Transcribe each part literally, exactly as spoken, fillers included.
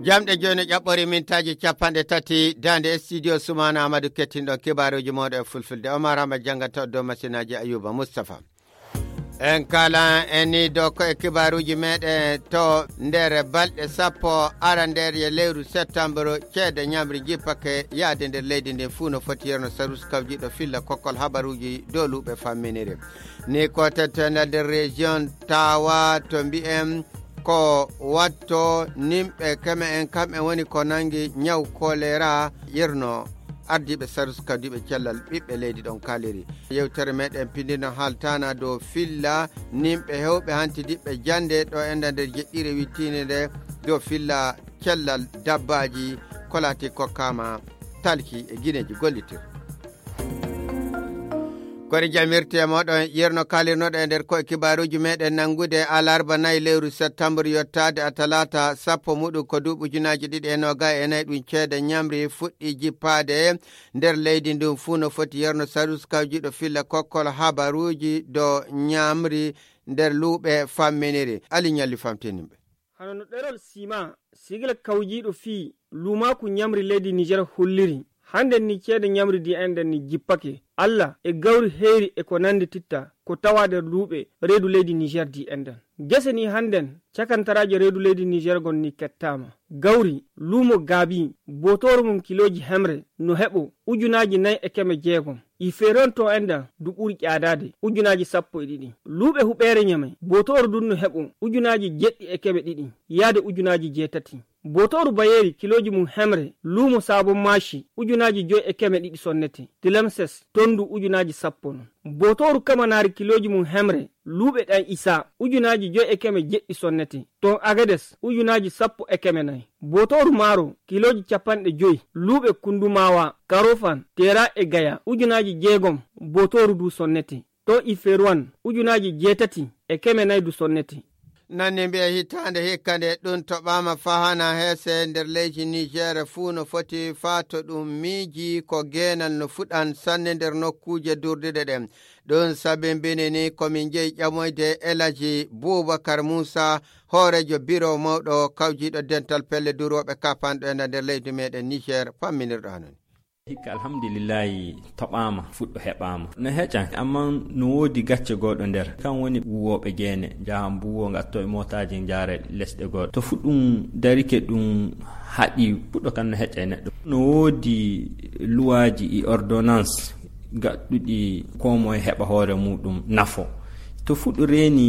jamɗe joni ƴaɓɓori mintaji capanɗe tati dande studio Sumana Amadou kettinɗo kibaruji moɗo e fulfulde. Omar Hama jangata dow masinaji Ayuba Mustafa. En kala eni dow ko e kibaruji meɗen to nder balɗe sappo ara nder ye lewru septembre ceede ñamri jippake yaade nder leydi ndi fuu no foti yerno sarus kawjiɗo filla kokkol habaruji dow luuɓe famminiri ni ko tettene nder région Tawa to mbi'en ko watto nimɓe keme en kamɓe woni ko nangi ñaw choléra yerno ardiɓe sarus kawdiɓe cellal ɓiɓɓe leydi ɗon kaliri yewtere meɗen pindino haltana dow filla nimɓe hewɓe hantidiɓɓe jande ɗo enda nder jeɗɗire wittine nde dow filla cellal dabbaji kolati kokkama talki e guineji gollitir kori jamirte moɗon yerno kalirnoɗo e nder koye kibaruji meɗen nangude alarba nayi lewru septembre yottade a talata sappo muɗum ko duuɓi ujunaji ɗiɗi e noga e nayyi ɗum ceede ñamri fuɗɗi jippade nder leydi ndun fuu no foti yerno sarus kawjiɗo filla kokkol habaruji do ñamri nder luuɓe famminiri ali ñalli famtinimɓe hano no ɗerol sima sigla kawjiɗo fii lumaku ñamri leydi Niger holliri hande ni ceede ñamri di enden ni jippake Allah e gawri heeri e ko nandi titta ko tawa nder luuɓe reedu leydi Niger di enden gese ni handen cakantaraje reedu leydi Niger gon ni kettama gawri luumo gaabi botoro mum kiloji hemre no heɓo ujunaji nayi e keme jeegom i feeron to enden du ɓuri ƴaadade ujunaji sappo e ɗiɗi luuɓe huɓeere ñame botoro dun no heɓo ujunaji jeɗɗi e keme ɗiɗi yaade ujunaji jeetati botoru bayeri kiloji mum hemre luumo sabon mashi ujunaji joyi e keme ɗiɗi sonnete tilemses tondu ujunaji sappo non botoru kamanari kiloji mum hemre luuɓe ɗan isa ujunaji joyi e keme jeɗɗi sonnete ton agades ujunaji sappo e keme nayi botoru maaro kiloji capanɗe joyi luuɓe kundumawa karofan tera e gaya ujunaji jeegom botoru du sonnete ton iferwan ujunaji jeetati e keme nayi du sonnete nanni mbiya hitande hikkande ɗum toɓama fahana heese nder leydi Niger fuu no foti faato ɗum miiji ko genal no fuɗan sanne nder nokkuje durdiɗe ɗen ɗum sabimbini ni komin jeeyi ƴamoyde Elaji Boubacar Moussa hoorejo biro mawɗo kawjiɗo dental pelle duroɓe kapanɗo ena nder leydi meɗen Niger famminirɗo hanon hikka alhamdulillahi toɓama fuɗɗo heɓama no heƴan amma no woodi gacce goɗo nder kan woni wuwoɓe geene jaha mbuwo gatto e motaji jaare lesɗe goɗo to fuɗɗum darike ɗum haɗi fuɗɗo kan no heƴa e neɗɗo no woodi luwaji e ordonnance gaɗɗuɗi ko moye heɓa hoore muɗum nafo to fuɗɗo reeni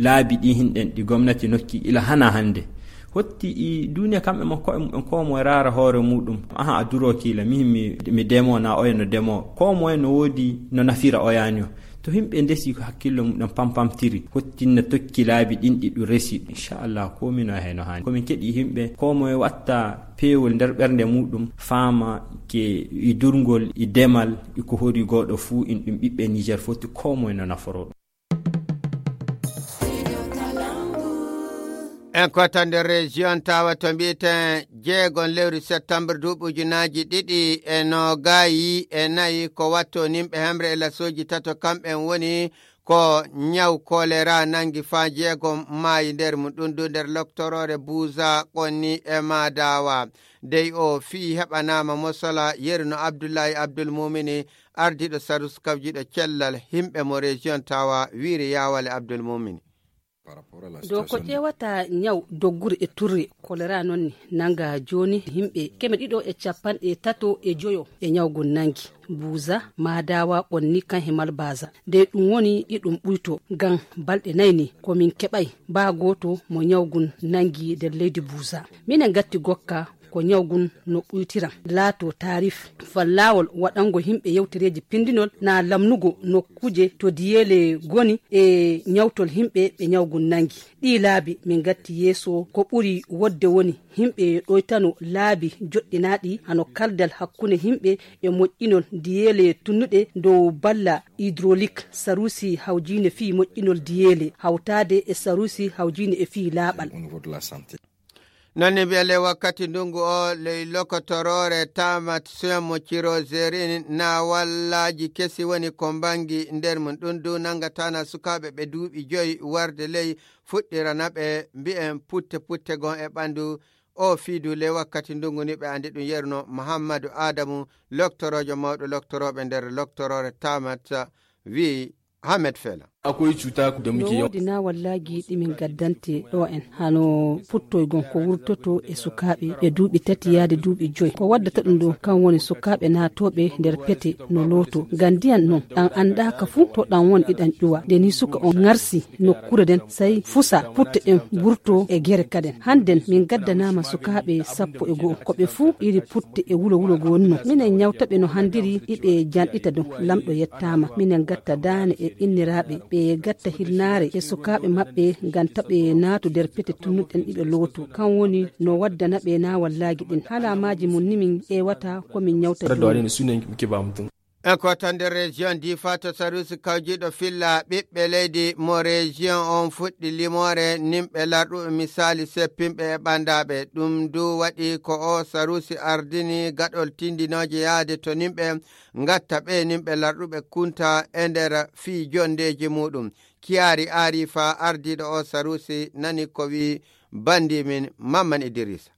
laabi ɗi hinɗen ɗi gomnati nokki ila hana hande hotti i duniya kamɓe mo koye mumen ko moye raara hoore muɗum aha a duro kiila mihin mi, mi demo na oya no demo ko moye no woodi no nafira oyani o to himɓe ndesi ko hakkillo muɗum pampamtiri hottinna tokki laabi ɗin ɗi ɗum resi inchallah komino heno hani komin keɗi himɓe ko moye watta peewol nder ɓernde muɗum faama ke i durgol i demal iko hori goɗo fuu in ɗum ɓiɓɓe Niger foti ko moye no naforo ɗum en kota nder région Tawa to mbiyeten jeegon lewru septembre duuɓi ujunaji ɗiɗi e nogayi e nayi ko watto nimɓe hemre e lasoji tato kamɓen woni ko ñaw choléra nangi fa jeegom maayi nder mum ɗum du nder loctorore Bouza Qonni e Madawa dey o fii heɓanama mosola yerno Abdoulaye Abdoul Mumini ardiɗo sarus kawjiɗo cellal himɓe mo région Tawa wiiri yawale Abdoul Mumini dow ko ƴewata ñaw doggure e turre choléra noon ni nanga joni himɓe keme ɗiɗo e capanɗe tato e joyo e ñawgol nangi Bouza Madawa Qonni kan hemal Baza nde ɗum woni ɗiɗum ɓuyto ngam balɗe nayni komin keɓay ba goto mo ñawgun nangi nder leydi Bouza minen gatti gokka ko ñawgun no ɓuytiran laato tarif fallawol waɗango himɓe yewtereji pindinol na lamnugo nokkuje to diyele goni e ñawtol himɓe ɓe ñawgun nangi ɗi laabi min gatti yeeso ko ɓuri wodde woni himɓe ɗoytano laabi joɗɗinaɗi hano kaldal hakkunde himɓe e moƴƴinol diyele tunnuɗe dow balla hydraulique sarusi hawjine fi moƴƴinol diyele hawtade e sarusi hawjine e fi laaɓal nonni mbiyale wakkati ndungu o ley lokotorore tamat soyamo ciroserin na wallaji kesi woni ko bangi nder mum ɗum du nangatana sukaɓe ɓe duuɓi joyi warde ley fuɗɗirana ɓe mbi'en putte putte gon e ɓandu o fiidu le wakkati ndungu ni ɓe andi ɗum yerno Muhammadu Adamu loktorojo mawɗo loktoroɓe nder loktorore tamat wi Hamed Fela akwai cuta da muke yau dina wallahi dimin gaddante do en hano puttoygon ko wurtoto e sukabe be duubi tati yaade duubi joy ko waddata dum do kan woni sukabe na tobe nder pete no loto gandiyan non dan anda ka fu to dan won idan ƴuwa de ni suka on ngarsi nokkure den sai fusa putte den burto e gere kaden handen min gaddanama sukabe sappo e go ko be fu iri putte e wulo wulo gonno minen nyawtabe no handiri ibe jandita do lamdo yettama minen gatta dane e innirabe ɓe gatta hilnaare e sukaaɓe maɓɓe ngam taɓe naatu nder pete tunnuɗen ɗiɓe lootu kan woni no waddana ɓe na wallaagi ɗin haalamaji mum nimin ewata komin ñawta en ko tan nder région difa to sarusi kawjiɗo filla ɓiɓɓe leydi mo région on fuɗɗi limore nimɓe larɗuɓe misali seppinɓe e ɓandaɓe ɗum du waɗi ko o sarusi ardini gaɗol tindinoje yaade to nimɓe gatta ɓe nimɓe larɗuɓe kunta e nder fii jondeji muɗum kiyari arifa ardiɗo o sarusi nani ko wi bandimin Mamman Idrissa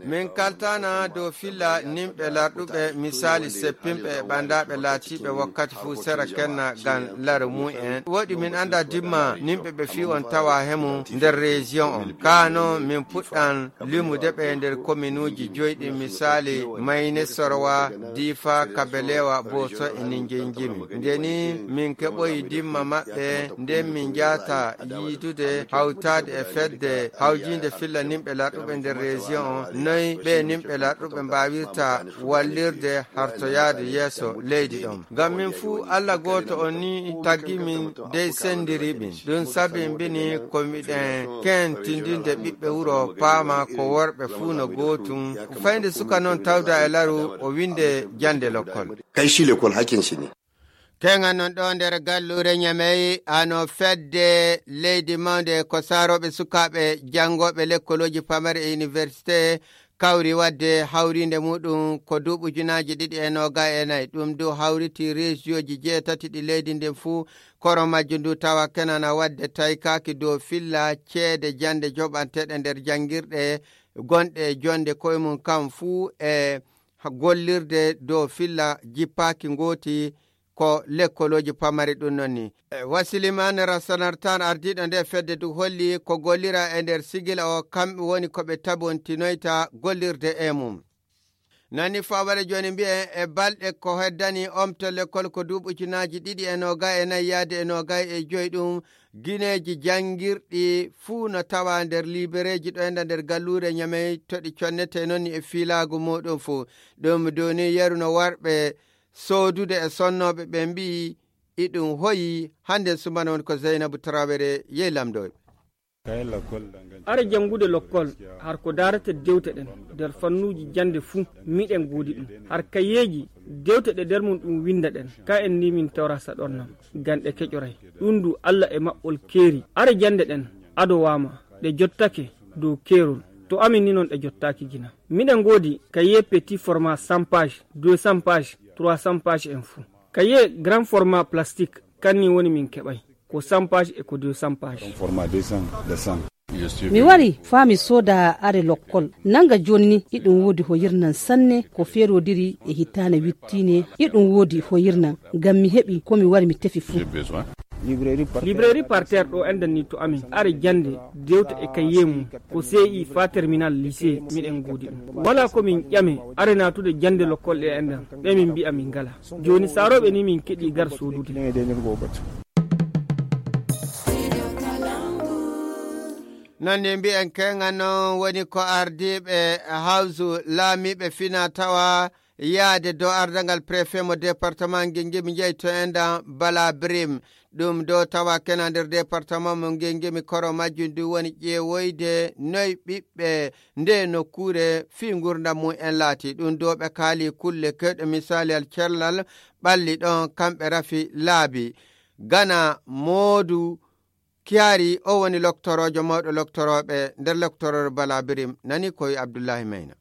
min kaltana dow filla nimɓe larɗuɓe misali seppinɓe e ɓandaɓe laatiɓe wakkati fuu sera kenna gam lare mu'en woɗi min anda dimma nimɓe ɓe fi on tawa hemu nder région on kano min puɗɗan limude ɓe nder commune uji joyɗi misali Mayne Sorwa Difa Kabelewa Boso e Ninguéjimi ndeni min keɓoyi dimma maɓɓe nden min jata yiidude hawtade e fedde hawjinde filla nimɓe larɗuɓe nder région o noyi ɓe nimɓe larɗuɓe mbawirta wallirde hartoyade yeeso leydi ɗon ngam min fuu Allah goto o ni taggi min dey sendiriɓin ɗum sabi mbini komiɗen kentindinde ɓiɓɓe wuro paama ko worɓe fuu no gootum fayde suka noon tawda e laru o winde jande lokkol kay shi l'école hakin shi ne kenga non ɗo nder gallure Ñamey ano fedde leydi mawde ko saroɓe sukaɓe jangoɓe lekkoloji pamare e université kawri wadde hawrinde muɗum ko duuɓi ujunaji ɗiɗi e noga e nayyi ɗum du hawriti région ji jeetati ɗi leydi ndin fuu koro majju ndu tawa kenana wadde taykaki dow filla ceede jande joɓanteɗe nder jangirɗe gonɗe jonde koye mum kam fuu e gollirde dow filla jippaki gooti ko lekkoloji pamari ɗum noon ni e Wasilimane Rasanartan ardiɗo nde fedde du holli ko gollira e nder sigila o kamɓe woni koɓe tabontinoyta gollirde e mum nani faware joni mbiye e balɗe ko heddani omto lekkol ko duuɓi ujunaji ɗiɗi e noga e nayyi yaade e noga e joyi ɗum guineji jangirɗi fuu no tawa nder libereji ɗo enda nder gallure Ñamey toɗi connete noon ni e filagu muɗum fuu ɗum doni yeruno warɓe soodude e sonnoɓe ɓe mbi iɗum hoyi hande sumana woni ko Zeynabou Traoré yey lamdoɓe ara jangude lokkol har ko darata dewte ɗen nder fannuji jande fuu miɗen goodi ɗum har kayeji dewte ɗe nder mum ɗum winda ɗen ka en ni min tawra saɗornam ganɗe keƴoray ɗum du Allah e maɓɓol keeri ara jande ɗen ado wama ɗe jottake dow keerol to amin ni noon ɗe jottaki gina miɗen goodi kaye petit format cent page deux cents page trois cents page en fou kaye grand format plastique kanni woni min keɓay ko cent page e ko deux cents page format deux cents de cent mi wari fami soda are lokkol nanga jonni iɗum wodi hoyirnan sanne ko ferodiri e hitane wittine iɗum wodi hoyirnan ngam mi heɓi komi wari mi tefi fuu librairie par terre ɗo endan ni to amin are jande dewta e kaye mum ko C I fa terminal lycée miɗen goodi ɗum wala komin ƴame are natude jande lokkol ɗe endan ɓe min mbi'a min ngala joni saroɓe ni min keɗi gar sodude nonne mbi'en kenga noon woni ko ardiɓe hawsu laamiɓe fina tawa yaade dow ardangal préfet mo département Guinguimi jeeyi to enda Bala Brim ɗum dow tawa kena nder département mo Guinguimi koro majjum ndu woni ƴeewoyde noyi ɓiɓɓe nde nokkure fi gurdam mum en laati ɗum dow ɓe kaali kulle kewɗe misali al cellal ɓalli ɗon kamɓe rafi laabi gana Modou Kiari o woni loktorojo mawɗo loktoroɓe nder loktorore Bala Birim nani koye Abdoullahi Mayna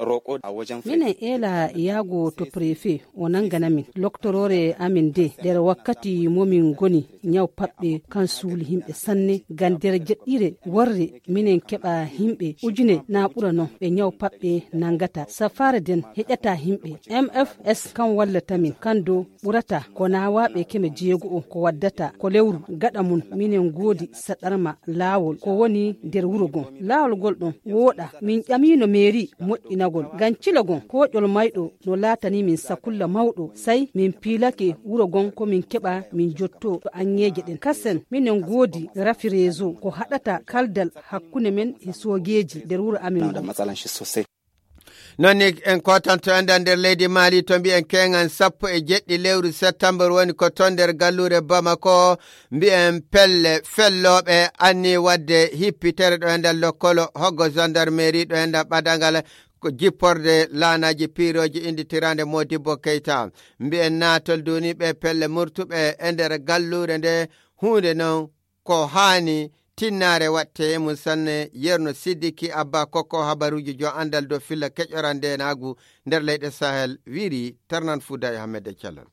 roƙo a wajen minen ela yago to préfet o nangana min loctorore amin de nder wakkati momin goni nyaw paɓɓe kan suuli himɓe sanne gan nder jeɗɗire worre minen keɓa himɓe ujune na ɓura non ɓe nyaw paɓɓe nangata safare den heƴata himɓe M F S kan wallata min kan do ɓurata ko nawaɓe keme jeego o ko waddata ko lewru gaɗa mun minen goodi saɗarma laawol ko woni nder wuro gon laawol gol ɗon wooɗa min ƴamino mairie moƴƴinagol gan cilagon ko ƴol mayɗo no laatani min sakulla mawɗo say min piilake wuro gon ko min keɓa min jotto to anŋeje ɗen kasen minen goodi rafi réseau ko haɗata kaldal hakkunde men e soogeji nder wuro amin nonni en kotanto enda nder leydi Mali to mbi'en kengan sappo e jeɗɗi lewru septembre woni ko ton nder gallure Bamako mbi'en pelle felloɓe anni wadde hippitere ɗo ender lokkolo hoggo gendarmerie ɗo enda ɓadangal ko jipporde laanaji piiroji inditirande Modibo Keita mbi'en natol duniɓe pelle murtuɓe e nder gallure nde hunde non ko hani tinnare watte mum sanne yerno Sidiki Abba kokko habaruji jo andal do filla keƴorande nagu nder leyɗe Sahel wiri Tarnan Fouda e Hamede Thialon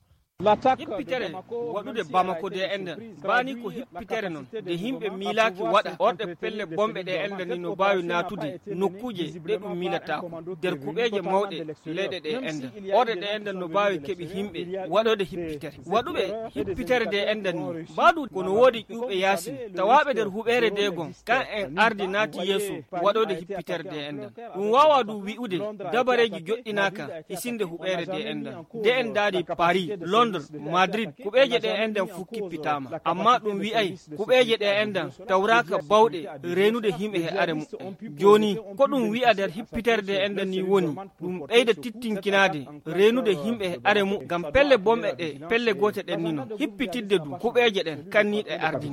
hippitere waɗude Bamako de enden bani ko hippitere non de himɓe milaki waɗa orɗe pelle bomɓe ɗe enden ni no bawi natude nokkuje ɗe ɗum milatako nder kuɓeje mawɗe leyɗe ɗe enden orɗe ɗe enden no bawi keɓi himɓe waɗode hippitere waɗuɓe hippitere de enden ni baɗu kono woodi ƴuɓe yasin tawaɓe nder huɓere de gon kan en ardi naati yeeso waɗode hippitere de enden ɗum wawa du wi'ude dabareji joɗɗinaka hisinde huɓere de enden de en daadi Paris Londres Madrid kuɓeje ɗe enden fu kippitama amma ɗum wi'ay kuɓeje ɗe enden tawraka bawɗe renude himɓe he are mu'en joni ko ɗum wi'a nder hippitere de enden ni woni ɗum ɓeyda tittinkinade renude himɓe he are mu ngam pelle bomɓe ɗe pelle gote ɗen ni non hippitidde du kuɓeje ɗen kanniɗe ardi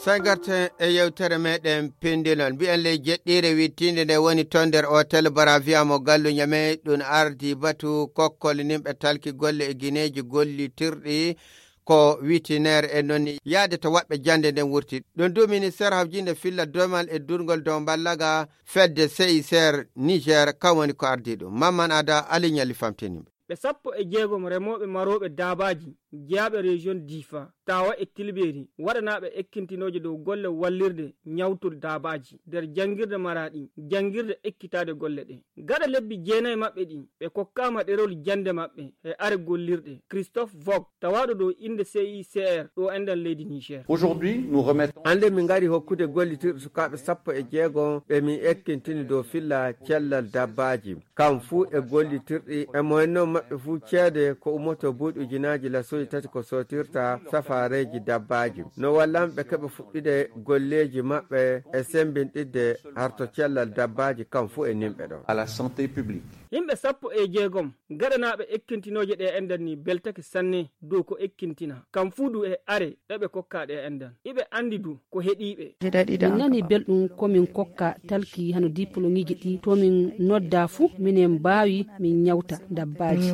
sagarte e yewtere meɗen pendilon mbi'en ley jeɗɗire wittinde nde woni ton nder hotel Baravia mo gallu ñame ɗum ardi batu kokkol nimɓe talki golle e guineji gollitirɗi ko witinaire e nonni yaade to waɓɓe jande nden wurti ɗum du ministére hawjinde filla domal e durgol dow ballaga fedde C I C R Niger kam woni ko ardi ɗum Mamman Ada aliñali famtinimɓe ɓe sappo e jeegom remoɓe maroɓe dabaji jeyaɓe région Difa tawa e Tilberi waɗanaɓe ekkintinoje dow golle wallirde ñawtude dabaji nder jangirde Maradi jangirde ekkitade golle ɗe gaɗa lebbi jeenayi maɓɓe ɗi ɓe kokkama ɗerol jande maɓɓe e are gollirɗe Christophe Vog tawaɗo dow inde C I C R ɗo enden leydi Niger. Aujourd'hui nous remettons ande min ngari hokkude gollitirɗe sukaɓe sappo e jeegom ɓe min ekkintini dow filla cellal dabbaji kam fuu e gollitirɗi e moyenno maɓɓe fuu ceede ko ummoto buuɗi ujunaji lasoji tati ko sotirta safareji dabbaji no wallanɓe keɓe fuɗɗide golleji maɓɓe e sembinɗidde harto cellal dabbaji kam fuu e nimɓe ɗo à la santé publique. Yimɓe sappo e jeegom gaɗanaɓe ekkintinoje ɗe enden ni beltake sanne dow ko ekkintina kam fuu du e are ɗeɓe kokka ɗe enden iɓe andi du ko heɗiɓe min nani belɗum komin kokka talki hano diplomiji ɗi tomin nodda fuu minen mbawi min ñawta dabbaji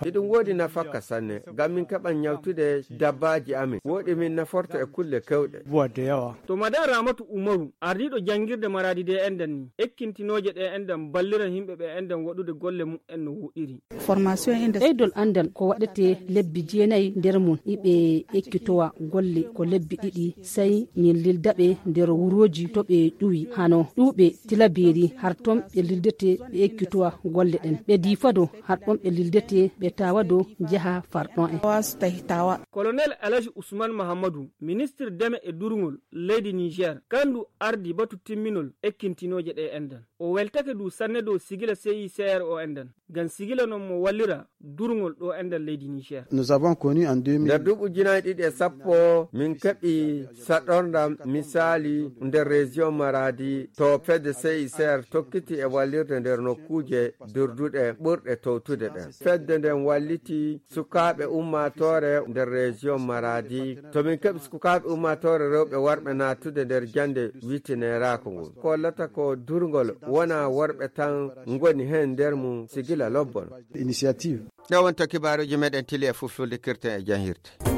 iɗum woodi nafakka sanne ngam min keɓan ñawtude dabbaji amin woɗi min naforto e kulle kewɗe to madan Ramatu Umaru ardiɗo jangirde Maradi de enden ni ekkintinoje ɗe enden ballira himɓe ɓe enden waɗude golle mumen no wuɗiri formation inde ɓeydol andal ko waɗete lebbi jeenayi nder mum iɓe ekkitowa golle ko lebbi ɗiɗi sey min lildaɓe nder wuroji to ɓe ƴuwi hano ɗuɓe Tilaberi har ton ɓe lildete ɓe ekkitowa golle ɗen ɓe Difado har ɗon ɓe lildete ɓe tawa do jaha farɗon en colonel Alaji Ousmane Mahamadou ministre deme e durgol leydi Niger kandu ardi batu timminol ekkintinoje ɗe enden o weltake du sanne dow sigila C I C R o enden gan sigila non mo wallira durgol ɗo enden leydi Niger. Nous avons connu en deux mille nder duuɓi ujunnaje ɗiɗi e sappo min keɓi saɗorndam misali nder région Maradi to fedde C I C R tokkiti e wallirde nder nokkuje durduɗe ɓurɗe towtude ɗen fedde nden walliti sukaɓe ummatore nder région Maradi to min keɓi sukaɓe ummatore rewɓe warɓe natude nder jande witineraako ngol kollata ko durgol wona worɓe tan ngoni hen nder mum sigila lobbon initiative ɗo wonto kibaruji meɗen tili e fulfulde kirten e janhirde.